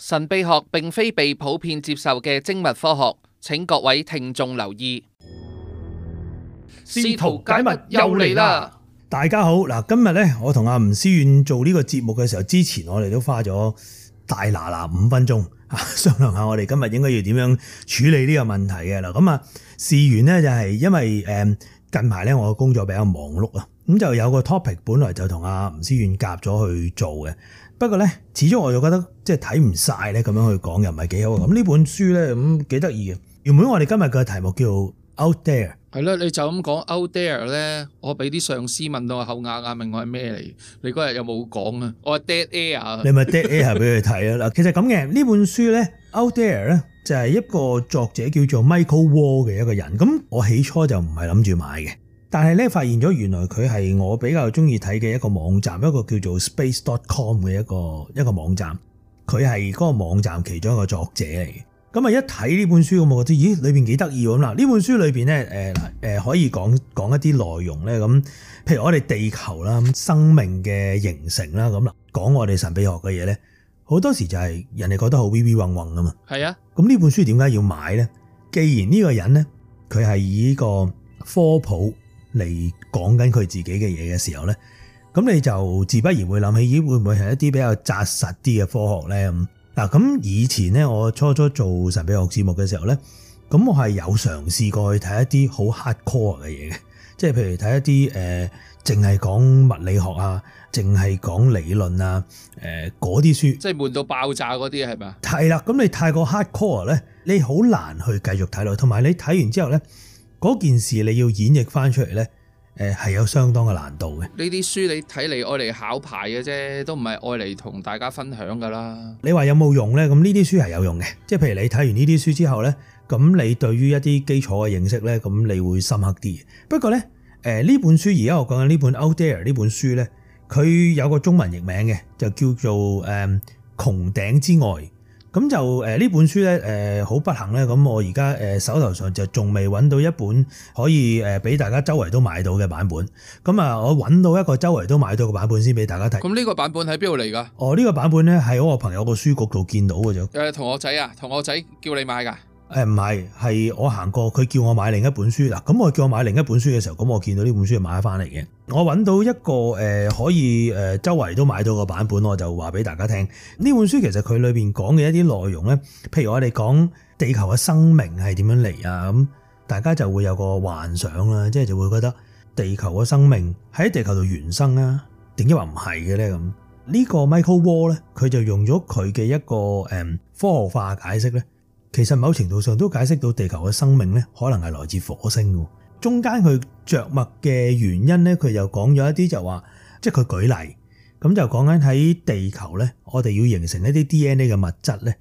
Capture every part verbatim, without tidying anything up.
神秘學並非被普遍接受嘅精密科學，請各位聽眾留意。試圖解密又嚟啦！大家好，嗱，今日咧我同阿吳思遠做呢個節目嘅時候，之前我哋都花咗大嗱嗱五分鐘啊，商量下我哋今日應該要點樣處理呢個問題嘅啦。咁啊，事緣呢就係因為誒近排咧我嘅工作比較忙碌啊，咁就有個 topic 本來就同阿吳思遠夾咗去做嘅。不過咧，始終我就覺得即係睇唔晒咧，咁樣去講又唔係幾好。咁呢本書咧咁幾得意嘅。原本我哋今日嘅題目叫 Out There， 係啦，你就咁講 Out There 咧，我俾啲上司問到我口啞啞，問我係咩嚟？你嗰日有冇講啊？我係 Dead Air。你咪 Dead Air 俾佢睇啦。嗱，其實咁嘅呢本書咧 Out There 咧就係一個作者叫做 Michael Wall 嘅一個人。咁我起初就唔係諗住買嘅。但係咧，發現咗原來佢係我比較中意睇嘅一個網站，一個叫做 space dot com 嘅一個一個網站。佢係嗰個網站其中一個作者嚟嘅。咁啊，一睇呢本書咁，我覺得咦，裏邊幾得意咁啦。呢本書裏邊咧，誒誒可以講講一啲內容咧。咁譬如我哋地球啦，生命嘅形成啦，咁啦，講我哋神秘學嘅嘢咧，好多時就係人哋覺得好 微微嗡嗡噶嘛。係啊。咁呢本書點解要買咧？既然呢個人咧，佢係以呢個科普嚟講緊佢自己嘅嘢嘅時候咧，咁你就自不然會諗起，咦，會唔會係一啲比較紮實啲嘅科學咧？咁嗱，咁以前咧，我初初做神秘學節目嘅時候咧，咁我係有嘗試過去睇一啲好 hardcore 嘅嘢嘅，即係譬如睇一啲誒，淨係講物理學啊，淨係講理論啊，誒嗰啲書，即係悶到爆炸嗰啲係咪？係啦，咁你太過 hardcore 咧，你好難去繼續睇落，同埋你睇完之後咧，嗰件事你要演繹翻出嚟咧，誒係有相當嘅難度嘅。呢啲書你睇嚟愛嚟考牌嘅啫，都唔係愛嚟同大家分享噶啦。你話有冇用咧？咁呢啲書係有用嘅，即係譬如你睇完呢啲書之後咧，咁你對於一啲基礎嘅認識咧，咁你會深刻啲。不過咧，誒呢本書而家我講緊呢本 Out There 呢本書咧，佢有個中文譯名嘅，就叫做誒穹頂之外。咁就誒呢本書咧，誒好不幸咧，咁我而家誒手頭上就仲未揾到一本可以誒俾大家周圍都買到嘅版本。咁啊，我揾到一個周圍都買到嘅版本先俾大家睇。咁呢個版本喺邊度嚟㗎？哦，呢個版本咧係我朋友個書局度見到嘅啫。誒，同學仔啊，同學仔叫你買㗎？誒唔係，係我行過，佢叫我買另一本書啦。咁我叫我買另一本書嘅時候，咁我見到呢本書就買翻嚟嘅。我揾到一個誒可以誒周圍都買到嘅版本，我就話俾大家聽。呢本書其實佢裏邊講嘅一啲內容咧，譬如我哋講地球嘅生命係點樣嚟啊，咁大家就會有個幻想啦，即係就會覺得地球嘅生命喺地球度原生啊，點解話唔係嘅咧？咁呢個 Michael Wall 咧，佢就用咗佢嘅一個誒科學化解釋咧。其實某程度上都解釋到地球嘅生命咧，可能係來自火星嘅。中間佢着墨嘅原因咧，佢又講咗一啲就話，即係佢舉例，咁就講緊喺地球咧，我哋要形成一啲 D N A 嘅物質咧，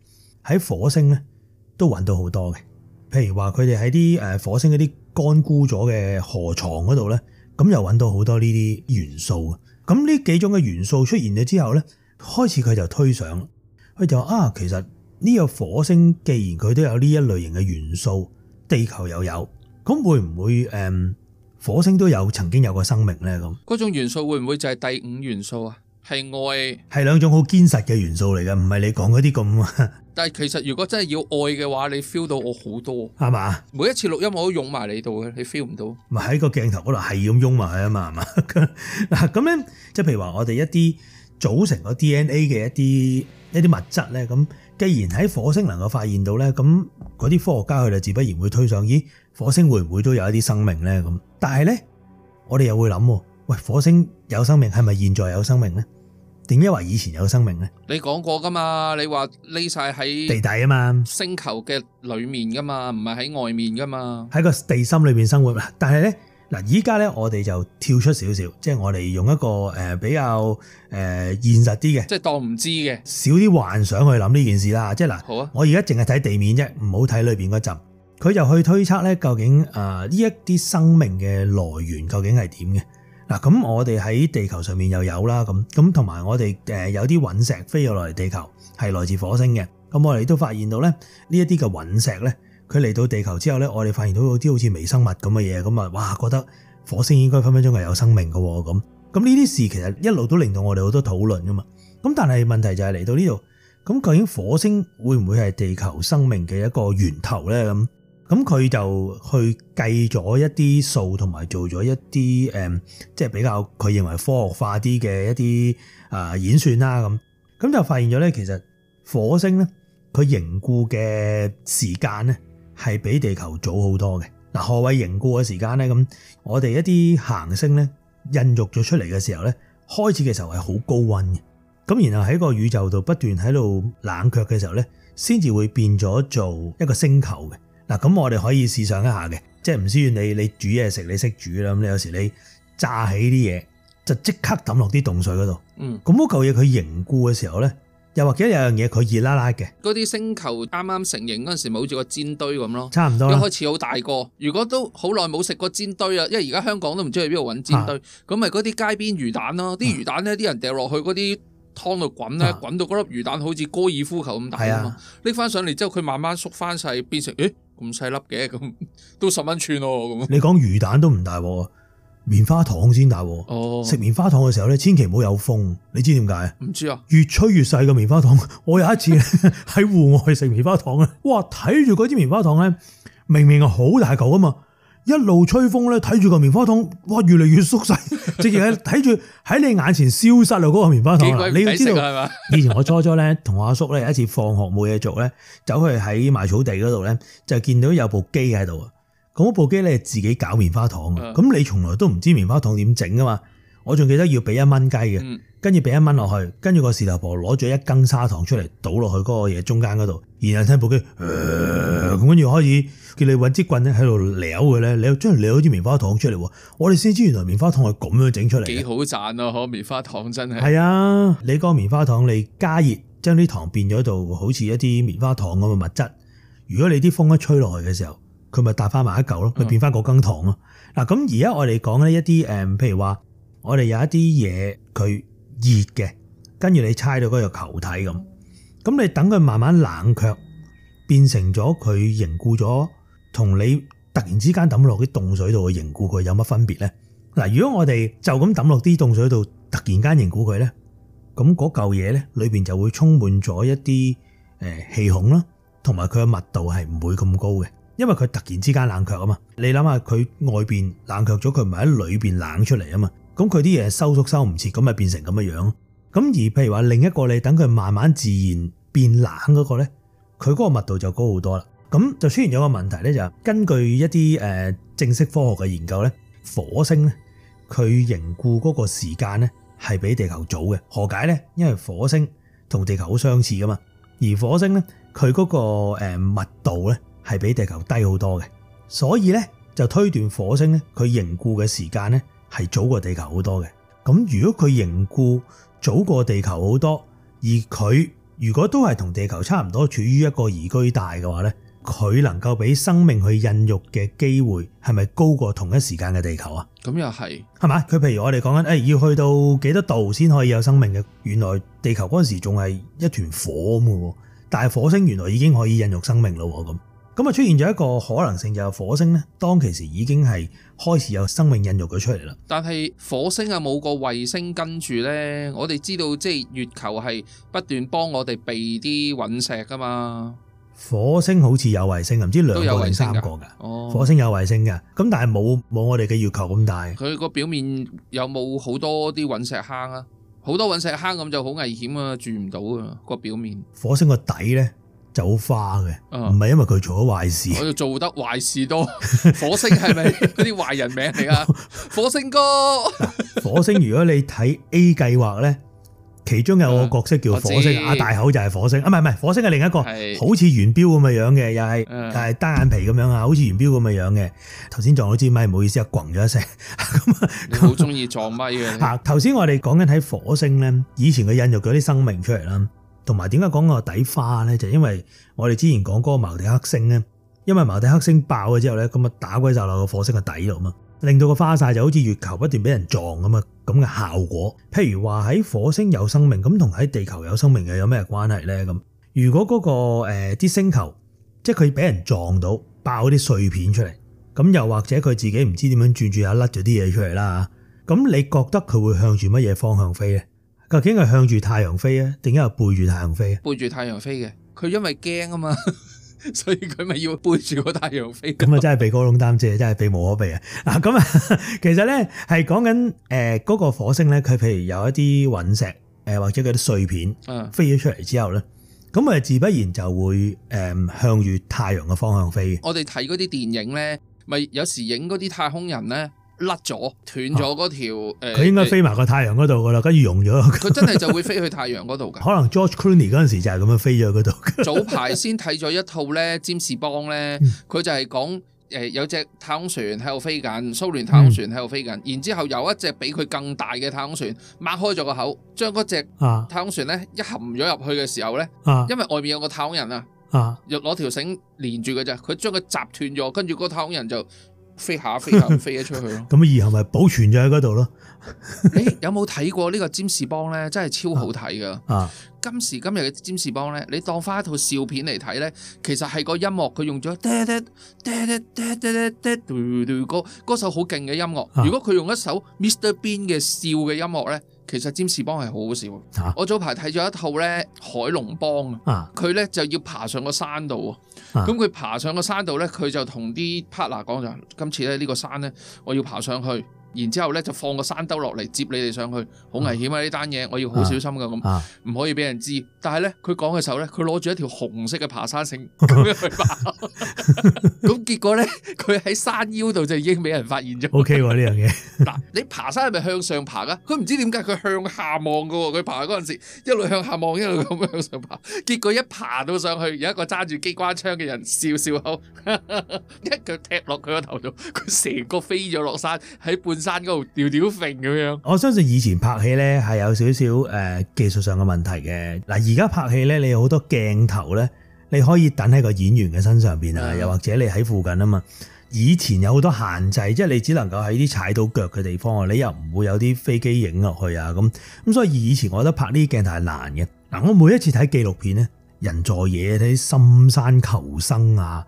喺火星咧都揾到好多嘅。譬如話佢哋喺啲誒火星嗰啲乾枯咗嘅河床嗰度咧，咁又揾到好多呢啲元素。咁呢幾種嘅元素出現咗之後咧，開始佢就推想，佢就話啊，其實呢個火星既然佢都有呢一類型嘅元素，地球又有，咁會唔會誒、嗯、火星都有曾經有過生命咧？咁嗰種元素會唔會就係第五元素啊？係愛，係兩種好堅實嘅元素嚟嘅，唔係你講嗰啲咁。但係其實如果真係要愛嘅話，你 feel 到我好多，係嘛？每一次錄音我都湧埋你度嘅，你 feel 唔到？咪喺個鏡頭嗰度係咁湧埋去啊嘛，係嘛？嗱咁咧，即係譬如話我哋一啲組成個 D N A 嘅一啲一啲物質咧，咁既然喺火星能夠發現到咧，咁嗰啲科學家佢就自不然會推上，咦，火星會唔會都有一啲生命咧？咁但係咧，我哋又會諗，喂，火星有生命係咪現在有生命咧？點解話以前有生命咧？你講過噶嘛？你話匿晒喺地底啊嘛，星球嘅裏面噶嘛，唔係喺外面噶嘛，喺個地心裏邊生活。但係咧，嗱，依家咧我哋就跳出少少，即係我哋用一個誒比較誒現實啲嘅，即係當唔知嘅，少啲幻想去諗呢件事啦。即係嗱，好啊，我而家淨係睇地面啫，唔好睇裏邊嗰陣。佢就去推測咧，究竟誒呢一啲生命嘅來源究竟係點嘅？嗱，咁我哋喺地球上面又有啦，咁咁同埋我哋誒有啲隕石飛咗落嚟地球，係來自火星嘅。咁我哋都發現到咧，呢一啲嘅隕石咧，佢嚟到地球之後咧，我哋發現到有啲好似微生物咁嘅嘢，咁啊，哇，覺得火星應該分分鐘係有生命嘅喎，咁咁呢啲事其實一路都令到我哋好多討論噶嘛。咁但係問題就係嚟到呢度，咁究竟火星會唔會係地球生命嘅一個源頭咧？咁咁佢就去計咗一啲數，同埋做咗一啲誒，即係比較佢認為科學化啲嘅一啲啊演算啦。咁咁就發現咗咧，其實火星咧佢凝固嘅時間咧係比地球早好多嘅。嗱，何謂凝固嘅時間咧？咁我哋一啲行星咧孕育咗出嚟嘅時候咧，開始嘅時候係好高溫嘅。咁然後喺個宇宙度不斷喺度冷卻嘅時候咧，先至會變咗做一個星球嘅。嗱，咁我哋可以試想一下嘅，即係唔需要你你煮嘢食，你識煮啦。咁你有時你炸起啲嘢，就即刻抌落啲凍水嗰度。嗯，咁嗰嚿嘢佢凝固嘅時候咧，又或者有樣嘢佢熱辣辣嘅。嗰啲星球啱啱成型嗰陣時，咪好似個煎堆咁咯。差唔多啦。一開始好大個，如果都好耐冇食過煎堆啊，因為而家香港都唔知去邊度揾煎堆，咁咪嗰啲街邊魚蛋咯。啲、啊、魚蛋咧，啲人掉落去嗰啲湯度滾咧，滾、啊、到嗰粒魚蛋好似高爾夫球咁大啊嘛。拎翻上嚟之後，佢慢慢縮翻細，變成誒咁細粒嘅，咁都十蚊寸咯咁。你講魚蛋都唔大喎，棉花糖先大喎。哦，食棉花糖嘅時候咧，千祈唔好有風。你知點解？唔知啊。越吹越細嘅棉花糖。我有一次喺戶外食棉花糖咧，哇！睇住嗰支棉花糖咧，明明係好大嚿啊嘛。一路吹風咧，睇住個棉花糖，哇，越嚟越縮細，直情係睇住喺你眼前消失啦嗰個棉花糖。你要知道，以前我初初咧同我阿叔咧有一次放學冇嘢做咧，走去喺埋草地嗰度咧，就見到有部機喺度啊。咁部機咧自己搞棉花糖啊。咁、嗯、你從來都唔知棉花糖點整噶嘛？我仲記得要俾一蚊雞嘅，跟住俾一蚊落去，跟住個事頭婆攞咗一羹砂糖出嚟倒落去嗰個嘢中間嗰度，然後聽部機咁跟住開始叫你搵支棍咧喺度撩佢咧，你又將佢撩咗支棉花糖出嚟。我哋先知原來棉花糖係咁樣整出嚟，幾好賺啊！嗬，棉花糖真係係啊！你個棉花糖你加熱，將啲糖變咗到好似一啲棉花糖咁嘅物質。如果你啲風一吹落去嘅時候，佢咪搭翻埋一嚿咯，佢變翻嗰羹糖咯。嗱、嗯，咁而家我哋講呢一啲誒，譬如話我哋有一啲嘢佢熱嘅，跟住你猜到嗰個球體咁，咁你等佢慢慢冷卻，變成咗佢凝固咗，同你突然之間抌落啲凍水度去凝固佢有乜分別咧？嗱，如果我哋就咁抌落啲凍水度，突然間凝固佢咧，咁嗰嚿嘢咧裏邊就會充滿咗一啲誒氣孔啦，同埋佢嘅密度係唔會咁高嘅。因為佢突然之間冷卻啊嘛，你諗下佢外邊冷卻咗，佢唔係喺裏邊冷出嚟啊嘛，咁佢啲嘢收縮收唔切，咁咪變成咁嘅樣。咁而譬如話另一個你等佢慢慢自然變冷嗰個咧，佢嗰個密度就高好多啦。咁就出現咗個問題咧，就根據一啲誒正式科學嘅研究咧，火星咧佢凝固嗰個時間咧係比地球早嘅。何解咧？因為火星同地球好相似噶嘛，而火星咧佢嗰個誒密度咧係比地球低好多嘅，所以咧就推斷火星咧佢凝固嘅時間咧係早過地球好多嘅。咁如果佢凝固早過地球好多，而佢如果都係同地球差唔多處於一個宜居帶嘅話咧，佢能夠俾生命去孕育嘅機會係咪高過同一時間嘅地球啊？咁又係，係嘛？佢譬如我哋講緊誒要去到幾多度先可以有生命嘅，原來地球嗰陣時仲係一團火咁嘅，但係火星原來已經可以孕育生命咯咁。咁啊出現咗一個可能性，就係火星咧，當其時已經係開始有生命孕育咗出嚟啦。但係火星啊冇個衛星跟住咧，我哋知道即係月球係不斷幫我哋避啲隕石噶嘛。火星好似有衛星，唔知兩個定三個噶。哦，火星有衛星噶，咁但係冇冇我哋嘅月球咁大。佢個表面有冇好多啲隕石坑啊？好多隕石坑咁就好危險啊，住唔到啊個表面。火星個底咧就好花嘅，唔係因為佢做咗壞事，我就做得壞事多。火星係咪嗰啲壞人名嚟啊？火星哥，火星如果你睇 A 計劃咧，其中有個角色叫火星，阿大口就係火星，啊唔係唔係，火星係另一個，好似圓標咁嘅樣嘅，又係又係單眼皮咁樣啊，好似圓標咁嘅樣嘅。頭先撞到支咪，唔好意思啊，咣咗一聲。咁啊，你好中意撞咪嘅。吓，頭先我哋講緊喺火星咧，以前佢孕育咗啲生命出嚟啦。同埋點解講個底花咧？就因為我哋之前講嗰個茅地克星咧，因為茅地克星爆咗之後咧，咁啊打鬼就落個火星嘅底度嘛，令到個花晒就好似月球不斷俾人撞咁啊咁嘅效果。譬如話喺火星有生命，咁同喺地球有生命嘅有咩關係咧？咁如果嗰、嗰個誒啲、呃、星球，即係佢俾人撞到爆啲碎片出嚟，咁又或者佢自己唔知點樣轉轉下甩咗啲嘢出嚟啦，咁你覺得佢會向住乜嘢方向飛咧？究竟係向住太陽飛啊，定係背住太陽飛啊？背住太陽飛嘅，佢因為驚啊嘛。所以佢咪要背住個太陽飛？咁啊，真係避過窿擔遮，真係避無可避啊！嗱，咁啊，其實咧係講緊誒嗰個火星咧，佢譬如有一啲隕石誒或者嗰啲碎片飛咗出嚟之後咧，咁啊自不然就會誒向住太陽嘅方向飛。我哋睇嗰啲電影咧，咪有時影嗰啲太空人咧。甩咗斷咗嗰條誒，佢應該飛埋個太陽嗰度噶啦，跟住溶咗。佢真係就會飛去太陽嗰度㗎。可能 George Clooney 嗰陣時就係咁樣飛咗嗰度。早排先睇咗一套咧，占士邦咧，佢就係講誒有隻太空船喺度飛緊，蘇聯太空船喺度飛緊，嗯、然之後有一隻比佢更大嘅太空船擘開咗個口，將嗰隻太空船咧一含咗入去嘅時候咧，啊、因為外面有個太空人啊，又攞條繩連住嘅啫，佢將佢截斷咗，跟住嗰個太空人就。飛下飛下飛咗出去咯，咁以後咪保存咗喺嗰度咯。你有冇睇過呢個占士邦咧？真係超好睇噶。啊、今時今日嘅占士邦咧，你當翻一套笑片嚟睇咧，其實係個音樂佢用咗嗒嗒嗒嗒嗒嗒嗒嘟嘟歌，嗰首好勁嘅音樂。啊、如果佢用一首 Mister Bean 嘅笑嘅音樂咧，其實占士邦係好好笑。啊、我早排睇咗一套咧海龍幫啊，佢咧就要爬上個山度。咁佢、啊、爬上個山度咧，佢就同啲 partner 講就：今次咧呢個山咧，我要爬上去，然之後咧就放個山兜落嚟接你哋上去，好危險啊！呢單嘢我要好小心噶，咁唔、啊、可以俾人知。但係咧，佢講嘅時候咧，佢攞住一條紅色嘅爬山繩咁樣去爬。咁結果咧，佢喺山腰度就已經俾人發現咗。O K 喎呢樣嘢。嗱，你爬山係咪向上爬噶？佢唔知點解佢向下望噶喎。佢爬嗰陣時一路向下望，一路咁向上爬。結果一爬到上去，有一個揸住機關槍嘅人笑笑口，一腳踢落佢個頭度，佢成個飛咗落山，喺半山嗰度吊吊揈咁樣。我相信以前拍戲咧係有少少誒技術上嘅問題嘅。嗱，而家拍戲咧，你有好多鏡頭咧，你可以等喺個演員嘅身上邊啊，又或者你喺附近啊嘛。以前有好多限制，即係你只能夠喺啲踩到腳嘅地方啊，你又唔會有啲飛機影落去啊咁。咁所以以前我覺得拍呢啲鏡頭係難嘅。嗱，我每一次睇紀錄片咧，人在野睇深山求生啊，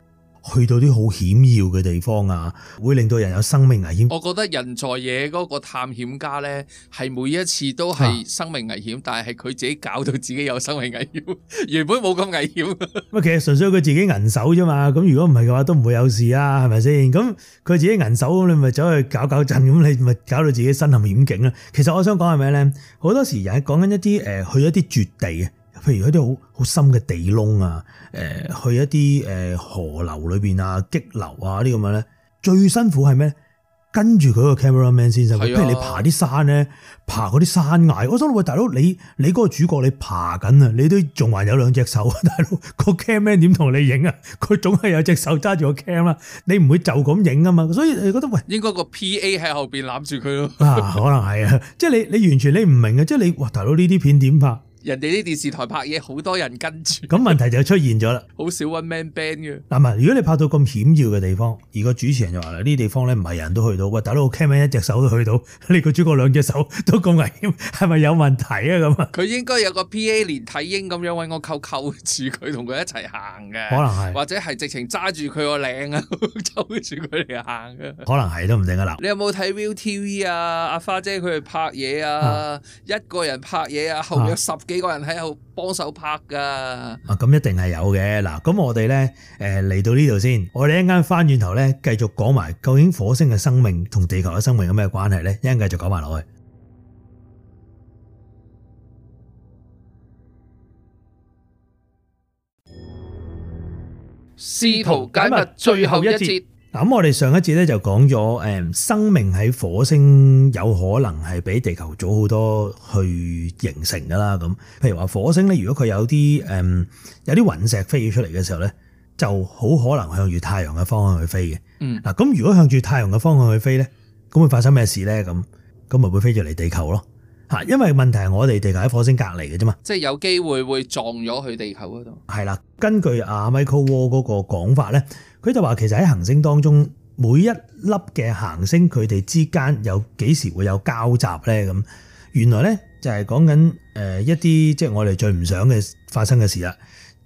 去到啲好險要嘅地方啊，會令到人有生命危險。我覺得人在野嗰個探險家咧，係每一次都係生命危險，啊、但係係佢自己搞到自己有生命危險，原本冇咁危險。咁其實純粹佢自己銀手啫嘛。咁如果唔係嘅話，都唔會有事啊，係咪先？咁佢自己銀手，咁你咪走去搞搞震，咁你咪搞到自己身陷險境啦。其實我想講係咩咧？好多時人講緊一啲誒，去一啲絕地嘅。譬如一啲好好深嘅地窿啊，誒去一啲誒河流裏邊啊、激流啊啲咁樣咧，最辛苦係咩？跟住佢個 cameraman 先生，譬如你爬啲山咧，爬嗰啲山崖，我想喂大佬，你你嗰個主角你爬緊啊，你都仲還有兩隻手，大佬個 cameraman 點同你影啊？佢總係有隻手揸住個 cam 啦，你唔會就咁影啊嘛，所以你覺得喂，應該個 P A 喺後邊攬住佢咯。啊，可能係啊，即係你你完全你唔明啊，即係你哇大佬呢啲片點拍？人哋啲電視台拍嘢，好多人跟住，咁問題就出現咗啦。好少 one man band 嘅。嗱，如果你拍到咁險要嘅地方，而個主持人就話啦，呢啲地方咧唔係人都去到，喂，大佬 cameraman 一隻手都去到，你個主角兩隻手都咁危險，係咪有問題啊？咁啊？佢應該有個 P A 連體嬰咁樣揾個扣扣住佢，同佢一齊行嘅。可能係，或者係直情揸住佢個領啊，揪住佢嚟行嘅。可能係都唔定啊！嗱，你有冇睇 Viu T V 啊？阿花姐佢哋拍嘢啊，啊一個人拍嘢啊，後面有十幾個人喺度幫手拍噶，啊咁一定係有嘅。嗱，咁我哋咧誒嚟到呢度先，我哋一陣間翻轉頭咧繼續講埋究竟火星嘅生命同地球嘅生命有咩關係咧？一陣繼續講埋落去。試圖解密最後一節。嗱，咁我哋上一節咧就講咗誒生命喺火星有可能係比地球早好多去形成噶啦。咁譬如話火星咧，如果佢有啲誒有啲隕石飛咗出嚟嘅時候咧，就好可能向住太陽嘅方向去飛嘅。嗯，嗱，咁如果向住太陽嘅方向去飛咧，咁會發生咩事咧？咁咁咪會飛咗嚟地球咯。嚇，因為問題係我哋地球喺火星隔離嘅啫嘛，即係有機會會撞咗去地球嗰度。係啦，根據阿 Michael Wall 嗰個講法咧。佢就話其實喺行星當中，每一粒嘅行星佢哋之間有幾時會有交集咧？咁原來咧就係講緊誒一啲即係我哋最唔想嘅發生嘅事啦，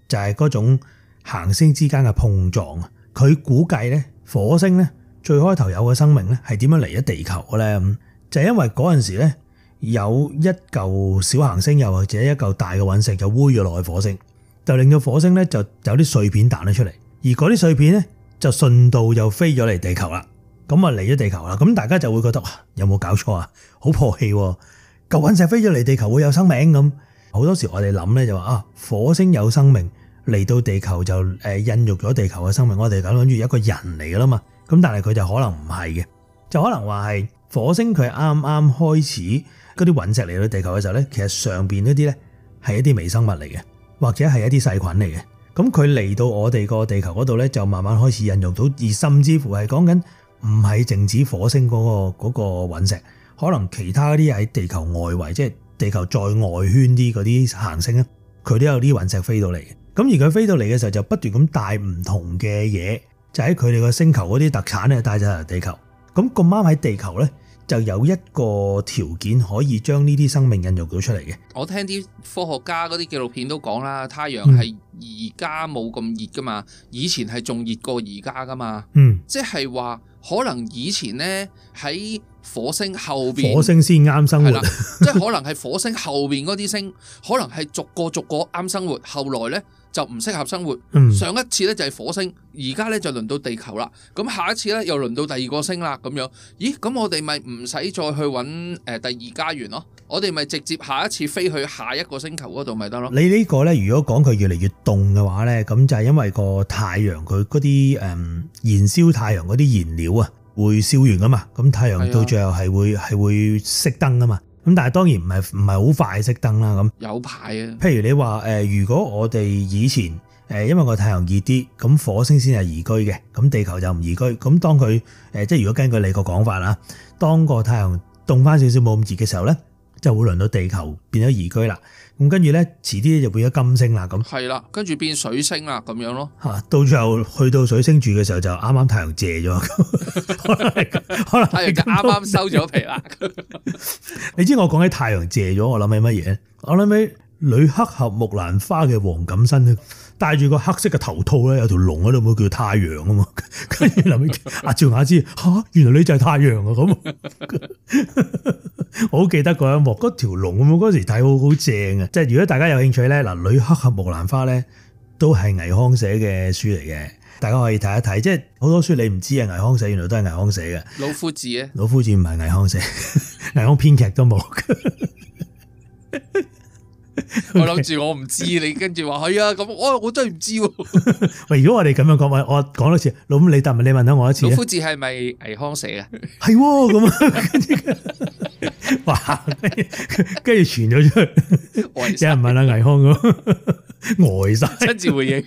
就係嗰種行星之間嘅碰撞。佢估計咧火星咧最開頭有嘅生命咧係點樣嚟咗地球嘅咧？咁就係因為嗰陣時咧有一嚿小行星又或者一嚿大嘅隕石就黴咗落去火星，就令到火星咧就有啲碎片彈咗出嚟，而嗰啲碎片咧就順道又飛咗嚟地球啦。咁啊嚟咗地球啦，咁大家就會覺得哇，有冇搞錯啊？好破氣喎！嚿隕石飛咗嚟地球會有生命咁。好多時我哋諗咧就話啊，火星有生命嚟到地球就誒孕育咗地球嘅生命，我哋咁諗住一個人嚟噶啦嘛。咁但係佢就可能唔係嘅，就可能話係火星佢啱啱開始嗰啲隕石嚟到地球嘅時候咧，其實上邊嗰啲咧係一啲微生物嚟嘅，或者係一啲細菌嚟嘅。咁佢嚟到我哋個地球嗰度咧，就慢慢開始孕育到，而甚至乎係講緊唔係淨止火星嗰個嗰個隕石，可能其他啲喺地球外圍，即係地球再外圈啲嗰啲行星咧，佢都有啲隕石飛到嚟嘅。咁而佢飛到嚟嘅時候，就不斷咁帶唔同嘅嘢，就喺佢哋個星球嗰啲特產咧帶咗嚟地球。咁咁啱喺地球咧，就有一個條件可以將呢啲生命孕育到出嚟嘅。我聽啲科學家嗰啲紀錄片都講啦，太陽係而家冇咁熱噶嘛，以前係仲熱過而家噶嘛。嗯，即係話可能以前呢喺火星後邊，火星先啱生活，即係可能係火星後邊嗰啲星，可能係逐個逐個啱生活，後來呢就唔適合生活。嗯、上一次呢就係火星，而家呢就輪到地球啦。咁下一次呢又輪到第二個星啦。咁樣，咦？咁我哋咪唔使再去揾誒第二家園咯？我哋咪直接下一次飛去下一個星球嗰度咪得咯？你呢個呢，如果講佢越嚟越凍嘅話呢，咁就係因為個太陽佢嗰啲誒燃燒太陽嗰啲燃料啊，會燒完噶嘛。咁太陽到最後係會係會熄燈噶嘛。咁但係當然唔係唔係好快熄燈啦。咁有排啊。譬如你話誒，如果我哋以前誒因為個太陽熱啲，咁火星先係宜居嘅，咁地球就唔宜居。咁當佢誒即係如果根據你個講法啦，當個太陽凍翻少少冇咁熱嘅時候咧，就會輪到地球變咗宜居啦。咁跟住咧，遲啲就變咗金星啦。咁係啦，跟住變水星啦，咁樣咯。嚇，到最後去到水星住嘅時候，就啱啱太陽謝咗，可能可能太陽就啱啱收咗皮啦。你知我講起太陽謝咗，我諗起乜嘢？我諗起女黑俠木蘭花嘅黃錦燊，戴住個黑色嘅頭套咧，有條龍喺度，叫太陽啊嘛。跟住諗起阿趙雅芝，嚇，原來你就係太陽啊咁。我好記得嗰一幕，嗰條龍咁，嗰時睇好好正啊！即係如果大家有興趣咧，嗱，女黑俠木蘭花咧都係倪匡寫嘅書嚟嘅，大家可以睇一睇。即係好多書你唔知啊，倪匡寫原來都係倪匡寫嘅。老夫子啊，老夫子唔係倪匡寫，倪匡編劇都冇。我諗住我唔知，你跟住話係啊，咁我我真係唔知喎。喂，如果我哋咁樣講，我講多次，老咁你答問你問下我一次。老夫子係咪倪匡寫嘅？係喎，咁啊，跟住哇，跟住傳咗出去，有人問下倪匡咁，呆晒，親自回應。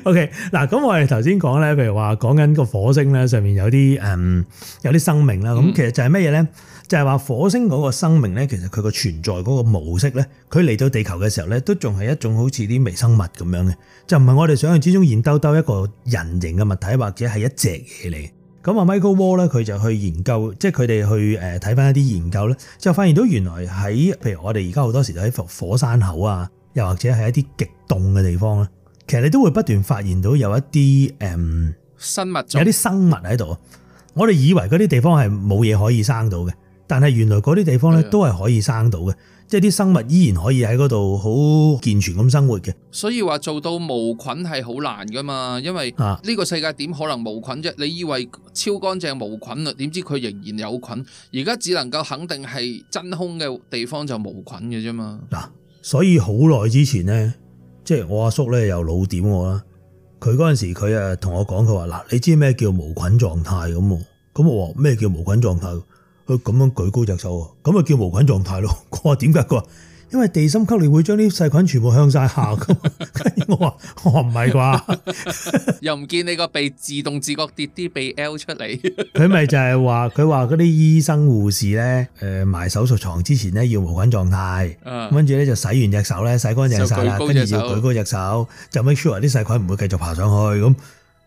OK， 嗱，咁我哋頭先講咧，譬如話講緊個火星咧，上面有啲誒、嗯、有啲生命啦，咁、嗯、其實就係乜嘢咧？就係話火星嗰個生命咧，其實佢個存在嗰個模式咧，佢嚟到地球嘅時候咧，都仲係一種好似啲微生物咁樣嘅，就唔係我哋想象之中現兜兜一個人形嘅物體，或者係一隻嘢嚟。咁啊，Michael Wall 咧，佢就去研究，即係佢哋去誒睇翻一啲研究咧，就發現到原來喺譬如我哋而家好多時都喺火山口啊，又或者係一啲極凍嘅地方咧，其實你都會不斷發現到有一啲誒、嗯、生物，有啲生物喺度。我哋以為嗰啲地方係冇嘢可以生到嘅。但係原來嗰啲地方咧都係可以生到嘅，即係啲生物依然可以喺嗰度好健全咁生活嘅。所以話做到無菌係好難噶嘛，因為呢個世界點可能無菌啫？你以為超乾淨無菌啦，點知佢仍然有菌？而家只能夠肯定係真空嘅地方就無菌嘅啫嘛。嗱，所以好耐之前咧，即係我阿叔咧又老點我啦，佢嗰陣時佢誒同我講，佢話嗱，你知咩叫無菌狀態咁？咁我話咩叫無菌狀態？佢咁樣舉高隻手，咁咪叫無菌狀態咯。我話點解？佢話因為地心吸力會將啲細菌全部向晒下咁。跟住我話我話唔係啩？又唔見你個鼻自動自覺跌啲鼻 L 出嚟。佢咪就係話佢話嗰啲醫生護士咧，誒埋手術床之前咧要無菌狀態，跟住咧就洗完隻手咧洗乾淨晒啦，跟住要舉高隻手，就 make sure 啲細菌唔會繼續爬上去咁。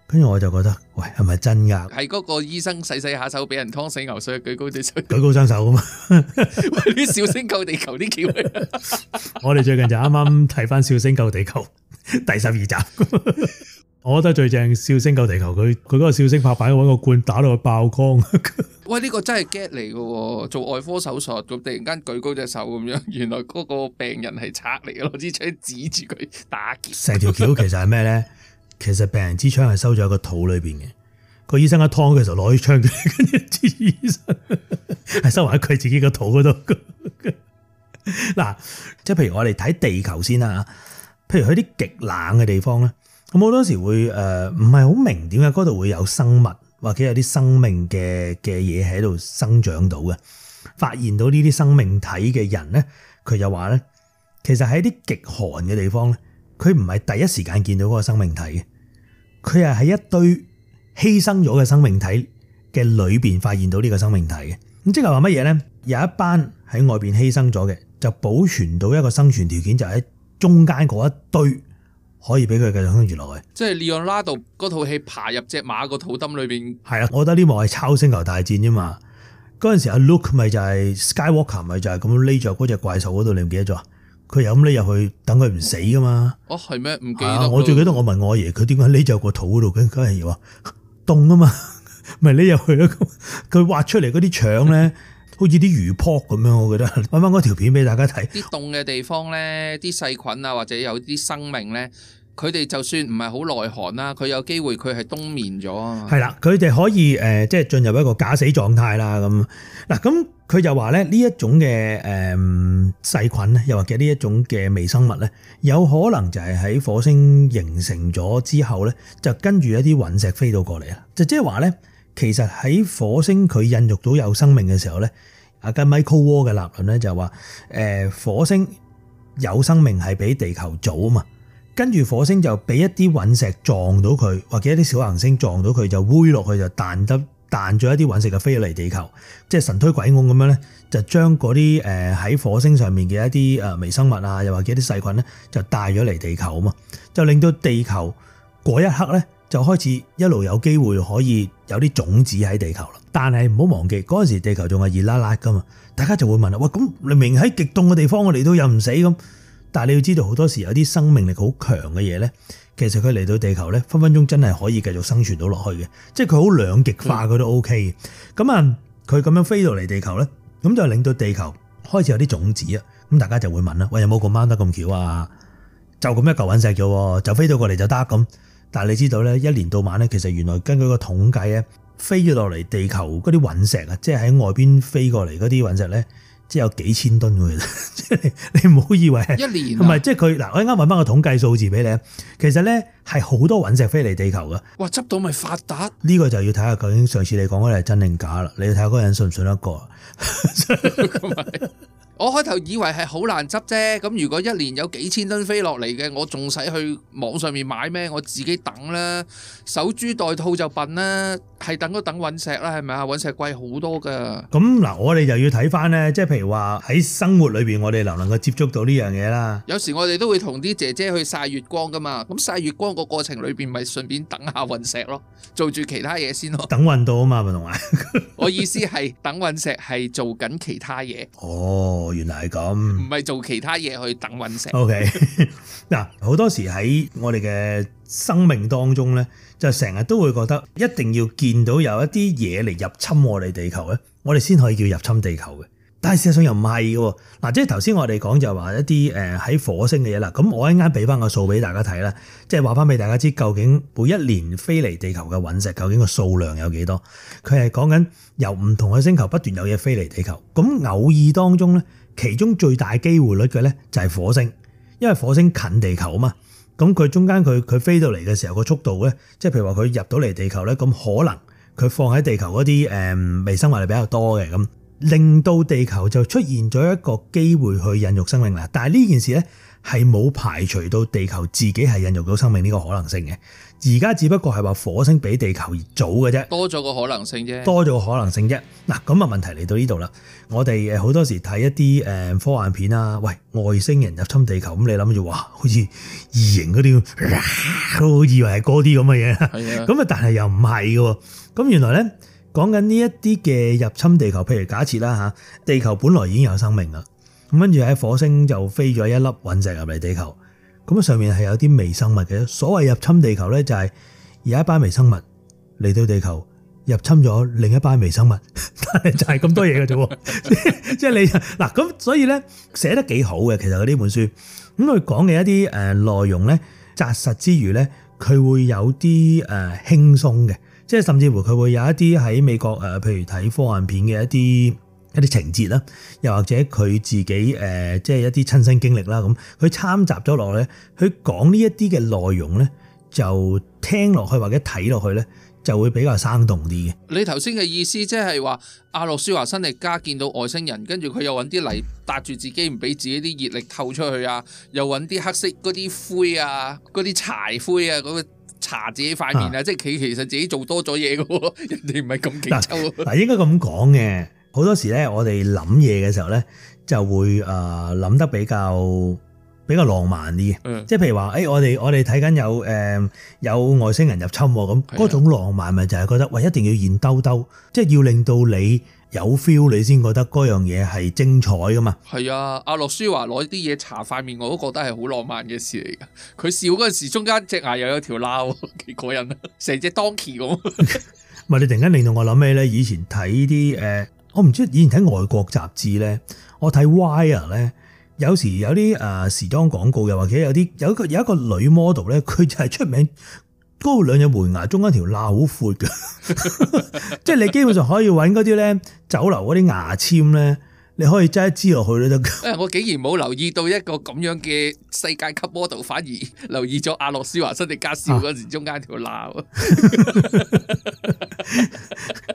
跟住我就覺得，喂，係咪真噶？係嗰個醫生洗洗下手，俾人劏死牛水，舉高隻手，舉高雙手噶嘛？喂，啲笑星救地球啲橋。我哋最近就啱啱睇翻《笑星救地球》第十二集，我覺得最正《笑星救地球》，佢佢嗰個笑星拍板揾個罐打到佢爆光。喂，呢個真係 get 嚟嘅喎，做外科手術咁突然間舉高隻手咁樣，原來嗰個病人係賊嚟嘅，攞支槍指住佢打劫。成條橋其實係咩咧？其實病人支槍係收咗喺個肚裏邊嘅，個醫生一劏嘅時候攞支槍，跟住支醫生係收埋喺佢自己個肚嗰度。嗱，即係譬如我哋睇地球先啦，譬如去啲極冷嘅地方咧，咁好多時會誒唔係好明點解嗰度會有生物或者有啲生命嘅嘅嘢喺度生長到嘅。發現到呢啲生命體嘅人咧，佢就話咧，其實喺啲極寒嘅地方咧，佢唔係第一時間見到嗰個生命體嘅，佢係喺一堆犧牲咗嘅生命體嘅裏邊發現到呢個生命體嘅。咁即係話乜嘢咧？有一班喺外邊犧牲咗嘅，就保存到一個生存條件，就喺中間嗰一堆可以俾佢繼續生存落去。即係 Leonardo 嗰套戲爬入隻馬個肚墩裏邊。係啦，我覺得呢幕係抄星球大戰啫嘛。嗰陣時阿 Luke 咪就係 Skywalker 咪就係咁匿咗嗰隻怪獸嗰度，你唔記得咗？佢又咁匿入去等佢唔死噶嘛？哦，係咩？唔記得。我最記得我問我阿爺，佢點解匿咗個肚嗰度？梗梗係話凍啊嘛，咪匿入去咯。佢挖出嚟嗰啲腸咧，好似啲魚泡咁樣，我覺得。揾翻嗰條片俾大家睇。啲凍嘅地方咧，啲細菌啊，或者有啲生命咧，佢哋就算唔係好耐寒啦，佢有機會佢係冬眠咗啊嘛。係啦，佢哋可以誒，即係進入一個假死狀態啦。咁嗱，咁佢就話咧，呢一種嘅誒細菌咧，又或者呢一種嘅微生物咧，有可能就係喺火星形成咗之後咧，就跟住一啲隕石飛到過嚟啦。就即係話咧，其實喺火星佢孕育到有生命嘅時候咧，阿根 Michael Wall 嘅立論咧就話誒火星有生命係比地球早啊嘛。跟住火星就俾一啲隕石撞到佢，或者一啲小行星撞到佢，就煨落去就彈得彈咗一啲隕石就飛咗嚟地球，即係神推鬼拱咁樣咧，就將嗰啲誒喺火星上面嘅一啲誒微生物啊，又或者啲細菌咧，就帶咗嚟地球啊嘛，就令到地球嗰一刻咧就開始一路有機會可以有啲種子喺地球啦。但係唔好忘記嗰陣時地球仲係熱辣辣噶嘛，大家就會問啦，喂，咁你明喺極凍嘅地方我嚟到又唔死咁？但係你要知道，好多時有啲生命力好強嘅嘢咧，其實佢嚟到地球咧，分分鐘真係可以繼續生存到落去嘅，即係佢好兩極化，佢都 O K 嘅。咁啊，佢咁樣飛到嚟地球咧，咁就令到地球開始有啲種子啊。咁大家就會問啦，喂，有冇咁啱得咁巧啊？就咁一嚿隕石啫，就飛到過嚟就得咁。但係你知道咧，一年到晚咧，其實原來根據個統計咧，飛咗落嚟地球嗰啲隕石啊，即係喺外邊飛過嚟嗰啲隕石咧。即係有幾千噸嘅，即係你唔好以為係一年，唔係即係佢嗱，我啱啱揾翻個統計數字俾你，其實咧係好多隕石飛嚟地球噶。哇！執到咪發達？呢個就要睇下究竟上次你講嗰啲係真定假啦。你要睇下嗰個人信唔信得過。我開頭以為係好難執啫，咁如果一年有幾千噸飛落嚟嘅，我仲使去網上面買咩？我自己等啦，守株待兔就笨啦，係等都等隕石啦，係咪啊？隕石貴好多噶。咁嗱，我哋就要睇翻咧，即係譬如話喺生活裏邊，我哋能唔能夠接觸到呢樣嘢啦？有時我哋都會同啲姐姐去曬月光噶嘛，咁曬月光個過程裏邊，咪順便等下隕石咯，做住其他嘢先咯。等運到啊嘛，咪同埋。我意思係等隕石係做緊其他嘢。哦。原來係咁，唔係做其他嘢去等隕石。O K，嗱，好多時喺我哋嘅生命當中咧，就成日都會覺得一定要見到有一啲嘢嚟入侵我哋地球咧，我哋先可以叫入侵地球嘅。但係事實上又唔係嘅，嗱，即係頭先我哋講就話一啲誒喺火星嘅嘢啦。咁我一陣間俾翻個數俾大家睇啦，即係話翻俾大家知究竟每一年飛嚟地球嘅隕石究竟個數量有幾多？佢係講緊由唔同嘅星球不斷有嘢飛嚟地球，咁偶爾當中咧，其中最大機會率嘅咧就係火星，因為火星近地球啊嘛。咁佢中間佢佢飛到嚟嘅時候個速度咧，即係譬如話佢入到嚟地球咧，咁可能佢放喺地球嗰啲誒微生物係比較多嘅，咁令到地球就出現咗一個機會去孕育生命啦。但係呢件事咧係冇排除到地球自己係孕育到生命呢個可能性嘅。而家只不過係話火星比地球早嘅啫，多咗個可能性啫，多咗個可能性啫。嗱，咁啊問題嚟到呢度啦，我哋誒好多時睇一啲誒科幻片啊，喂，外星人入侵地球，咁你諗住哇，好似異形嗰啲，都以為係嗰啲咁嘅嘢，係啊，咁啊但係又唔係嘅。咁原來咧講緊呢一啲嘅入侵地球，譬如假設啦嚇，地球本來已經有生命啦，咁跟住喺火星就飛咗一粒隕石入嚟地球。咁上面係有啲微生物嘅，所謂入侵地球咧就係有一班微生物嚟到地球，入侵咗另一班微生物，但係就係咁多嘢嘅啫喎，即係你嗱咁，所以咧寫得幾好嘅，其實佢呢本書咁佢講嘅一啲誒內容咧紮實之餘咧，佢會有啲誒輕鬆嘅，即係甚至乎佢會有一啲喺美國誒，譬如睇科幻片嘅一啲一啲情節啦，又或者佢自己誒即係一啲親身經歷啦，咁佢參雜咗落咧，佢講呢一啲嘅內容咧，就聽落去或者睇落去咧，就會比較生動啲嘅。你頭先嘅意思即係話阿諾舒華辛力加見到外星人，跟住佢又揾啲泥搭住自己，唔俾自己啲熱力透出去啊，又揾啲黑色嗰啲灰啊，嗰啲柴灰啊，嗰、嗰個搽自己塊面啊，即係佢其實自己做多咗嘢嘅喎，人哋唔係咁勁抽。嗱，應該咁講嘅，好多時咧，我哋諗嘢嘅時候咧，就會誒諗得比較比較浪漫啲嘅，嗯、即係譬如話，誒、欸、我哋我哋睇緊有誒、呃、有外星人入侵咁，嗰的種浪漫咪就係覺得，喂，一定要現兜兜，即係要令到你有 feel，你先覺得嗰樣嘢係精彩噶嘛。係啊，阿諾舒華攞啲嘢搽塊面，我都覺得係好浪漫嘅事嚟噶。佢笑嗰陣時，中間隻牙又有條罅，幾過癮啊，成隻 Donkey 咁。唔係你突然間令到我諗起咧，以前睇啲誒，我唔知以前睇外國雜誌咧，我睇 Wire 咧。有時有啲誒時裝廣告，又或者有啲有一個有一個女 model 咧，佢就係出名嗰兩隻門牙中間條罅好闊嘅，即係你基本上可以揾嗰啲咧酒樓嗰啲牙籤咧，你可以擠一支落去都得。誒，我竟然冇留意到一個咁樣嘅世界級 model，反而留意咗阿諾舒華辛力加笑嗰時中間條罅。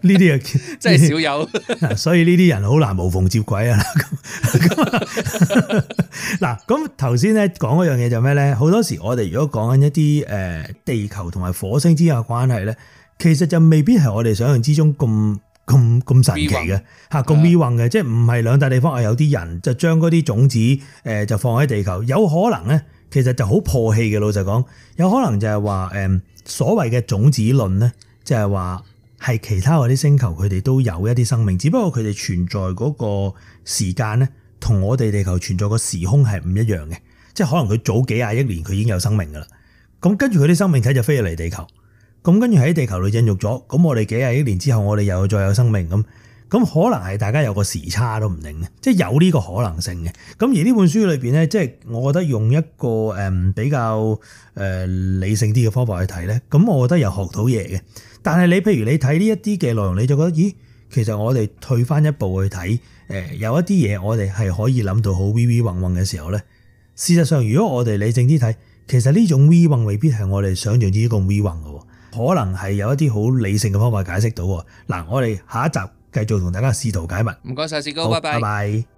呢啲啊真係少有，所以呢啲人好難無縫接軌啊！嗱，咁頭先咧講嗰樣嘢就咩咧？好多時我哋如果講緊一啲誒地球同埋火星之間嘅關係咧，其實就未必係我哋想象之中咁咁咁神奇嘅嚇，咁 V 運嘅，即係唔係兩笪地方啊？有啲人就將嗰啲種子誒就放喺地球，有可能咧，其實就好破氣嘅。老實講，有可能就係話誒所謂嘅種子論咧，就係話。係其他嗰啲星球，佢哋都有一啲生命，只不過佢哋存在嗰個時間咧，同我哋地球存在個時空係唔一樣嘅。即係可能佢早幾廿億年佢已經有生命噶啦，咁跟住佢啲生命體就飛咗嚟地球，咁跟住喺地球度孕育咗，咁我哋幾廿億年之後，我哋又再有生命咁，咁可能係大家有個時差都唔定嘅，即係有呢個可能性嘅。咁而呢本書裏邊咧，即係我覺得用一個誒比較誒理性啲嘅方法去睇咧，咁我覺得又學到嘢嘅。但係你譬如你睇呢一啲嘅內容，你就覺得咦，其實我哋退翻一步去睇，誒有一啲嘢我哋係可以諗到好 V V 混混嘅時候咧。事實上，如果我哋理性啲睇，其實呢種 V 混未必係我哋想象之咁 V 混嘅，可能係有一啲好理性嘅方法解釋到。嗱，我哋下一集繼續同大家試圖解密。唔該晒，士高，拜拜。拜拜。